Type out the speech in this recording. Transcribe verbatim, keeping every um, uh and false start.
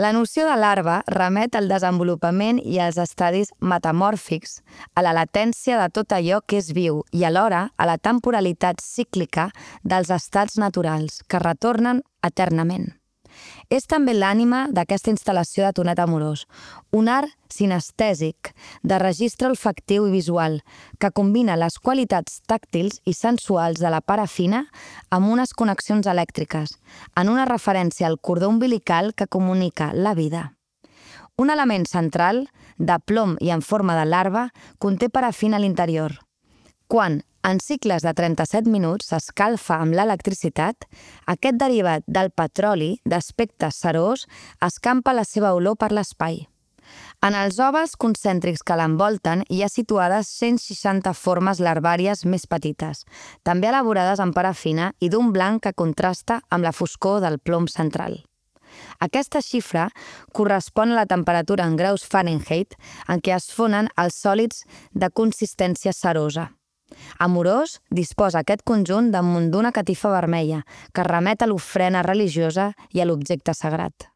La noció de larva remet al desenvolupament i als estadis metamòrfics, a la latència de tot allò que és viu i alhora a la temporalitat cíclica dels estats naturals, que retornen eternament. És també l'ànima d'aquesta instal·lació de Tonet Amorós, un art sinestèsic, de registre olfactiu i visual, que combina les qualitats tàctils i sensuals de la parafina amb unes connexions elèctriques, en una referència al cordó umbilical que comunica la vida. Un element central, de plom i en forma de larva, conté parafina a l'interior. Quan, en cicles de trenta-set minuts, s'escalfa amb l'electricitat, aquest derivat del petroli, d'aspecte cerós, escampa la seva olor per l'espai. En els ovals concèntrics que l'envolten hi ha situades cent seixanta formes larvàries més petites, també elaborades en parafina i d'un blanc que contrasta amb la foscor del plom central. Aquesta xifra correspon a la temperatura en graus Fahrenheit en què es fonen els sòlids de consistència cerosa. Amorós disposa aquest conjunt damunt d'una catifa vermella que remet a l'ofrena religiosa i a l'objecte sagrat.